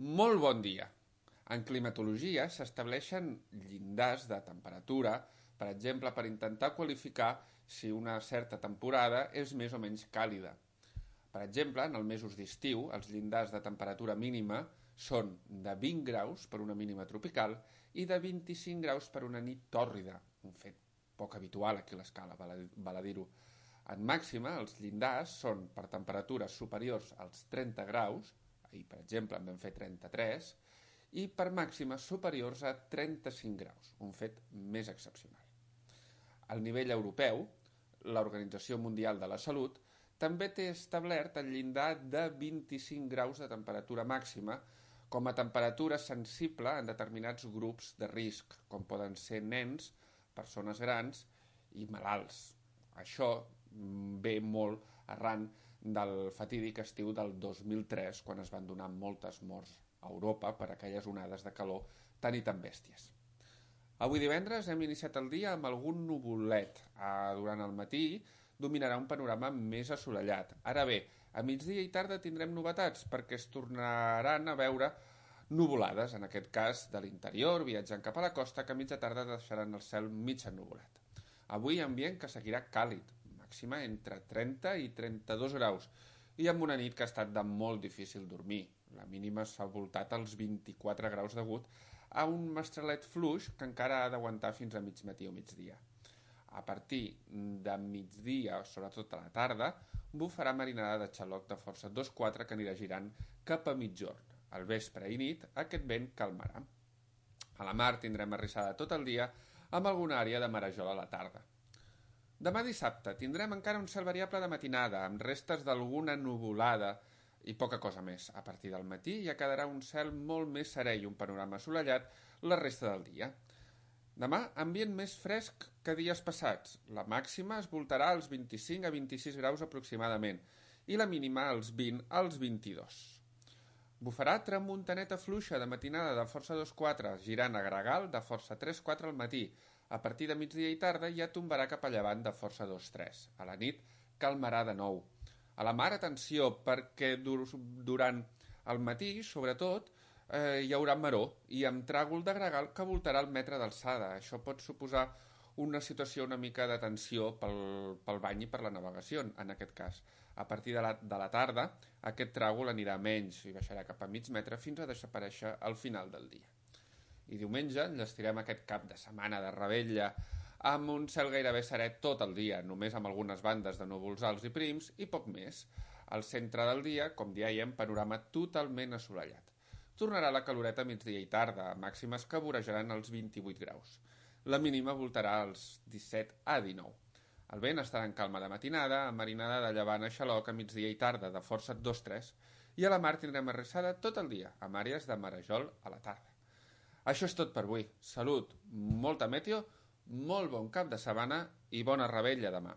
Molt bon dia! En climatologia s'estableixen llindars de temperatura, per exemple, per intentar qualificar si una certa temporada és més o menys càlida. Per exemple, en els mesos d'estiu, els llindars de temperatura mínima són de 20 graus per una mínima tropical i de 25 graus per una nit tòrrida, un fet poc habitual aquí a l'escala, val a dir-ho. En màxima, els llindars són per temperatures superiors als 30 graus, ahir, per exemple, en vam fer 33, i per màximes superiors a 35 graus, un fet més excepcional. Al nivell europeu, l'Organització Mundial de la Salut també té establert el llindar de 25 graus de temperatura màxima com a temperatura sensible en determinats grups de risc, com poden ser nens, persones grans i malalts. Això ve molt arran del fatídic estiu del 2003, quan es van donar moltes morts a Europa per aquelles onades de calor tan i tan bèsties. Avui divendres hem iniciat el dia amb algun nuvolet. Durant el matí dominarà un panorama més assolellat. Ara bé, a migdia i tarda tindrem novetats perquè es tornaran a veure nuvolades, en aquest cas de l'interior, viatjant cap a la costa, que a mitja tarda deixaran el cel mig ennuvolat. Avui ambient que seguirà càlid, màxima entre 30 i 32 graus, i amb una nit que ha estat de molt difícil dormir. La mínima s'ha voltat als 24 graus degut a un mestralet fluix que encara ha d'aguantar fins a mig matí o migdia. A partir de migdia, sobretot a la tarda, bufarà marinada de xaloc de força 2-4 que anirà girant cap a mitjorn. Al vespre i nit aquest vent calmarà. A la mar tindrem arrissada tot el dia amb alguna àrea de marejol a la tarda. Demà dissabte tindrem encara un cel variable de matinada, amb restes d'alguna nuvolada i poca cosa més. A partir del matí ja quedarà un cel molt més serè i un panorama assolellat la resta del dia. Demà, ambient més fresc que dies passats. La màxima es voltarà als 25 a 26 graus aproximadament i la mínima als 20 als 22. Bufarà tramuntaneta fluixa de matinada de força 2-4, girant a gregal de força 3-4 al matí. A partir de migdia i tarda ja tombarà cap a llevant de força 2-3. A la nit calmarà de nou. A la mar, atenció, perquè durant el matí, sobretot, hi haurà maró i amb tràgol de gregal que voltarà el metre d'alçada. Això pot suposar una situació una mica de tensió pel bany i per la navegació, en aquest cas. A partir de la tarda, aquest tràgol anirà menys i baixarà cap a mig metre fins a desaparèixer al final del dia. I diumenge enllestirem aquest cap de setmana de revetlla amb un cel gairebé serè tot el dia, només amb algunes bandes de núvols alts i prims i poc més. Al centre del dia, com dèiem, panorama totalment assolellat. Tornarà la caloreta a migdia i tarda, màximes que vorejaran els 28 graus. La mínima voltarà als 17 a 19. El vent estarà en calma de matinada, amb marinada de llevant a xaloc a migdia i tarda de força 2-3, i a la mar tindrem arrissada tot el dia, amb àrees de marejol a la tarda. Això és tot per avui. Salut, molta meteo, molt bon cap de setmana i bona revetlla demà.